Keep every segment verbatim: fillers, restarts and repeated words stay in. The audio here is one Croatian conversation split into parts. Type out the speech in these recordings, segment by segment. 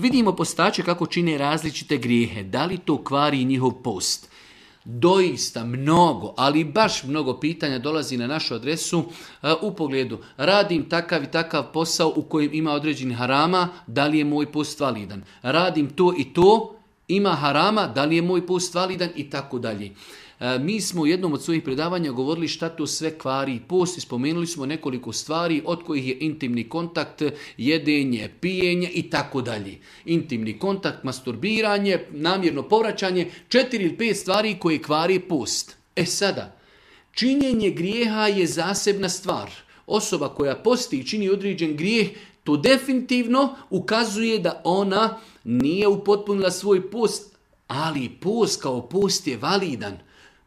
Vidimo postače kako čine različite grijehe. Da li to kvari njihov post? Doista mnogo, ali baš mnogo pitanja dolazi na našu adresu uh, u pogledu radim takav i takav posao u kojem ima određeni harama, da li je moj post validan? Radim to i to, ima harama, da li je moj post validan i tako dalje. Mi smo u jednom od svojih predavanja govorili šta to sve kvari post i spomenuli smo nekoliko stvari od kojih je intimni kontakt, jedenje, pijenje i tako dalje. Intimni kontakt, masturbiranje, namjerno povraćanje, četiri ili pet stvari koje kvari post. E sada, činjenje grijeha je zasebna stvar. Osoba koja posti i čini određen grijeh, to definitivno ukazuje da ona nije upotpunila svoj post, ali post kao post je validan.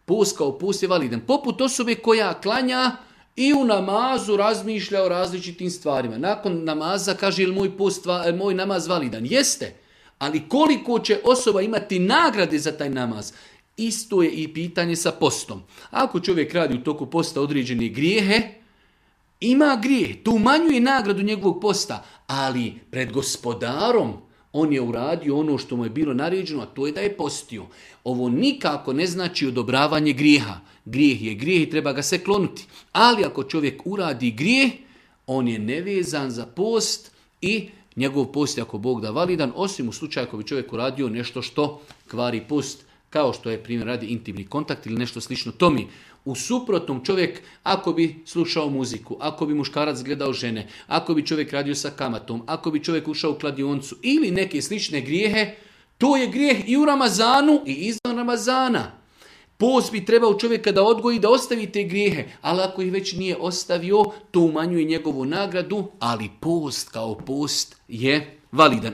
Post kao post je validan. Poput osobe koja klanja i u namazu razmišlja o različitim stvarima. Nakon namaza kaže, ili moj, post, moj namaz validan? Jeste. Ali koliko će osoba imati nagrade za taj namaz? Isto je i pitanje sa postom. Ako čovjek radi u toku posta određene grijehe, ima grijeh, to umanjuje nagradu njegovog posta, ali pred gospodarom on je uradio ono što mu je bilo naređeno, a to je da je postio. Ovo nikako ne znači odobravanje grijeha. Grijeh je grijeh i treba ga se klonuti. Ali ako čovjek uradi grijeh, on je nevezan za post i njegov post je ako Bog da validan, osim u slučaju ako bi čovjek uradio nešto što kvari post, kao što je primjer radi intimni kontakt ili nešto slično tomi. U suprotnom čovjek, ako bi slušao muziku, ako bi muškarac gledao žene, ako bi čovjek radio sa kamatom, ako bi čovjek ušao u kladioncu ili neke slične grijehe, to je grijeh i u Ramazanu i izvan Ramazana. Post bi trebao čovjeka da odgoji da ostavi te grijehe, ali ako ih već nije ostavio, to umanjuje njegovu nagradu, ali post kao post je validan.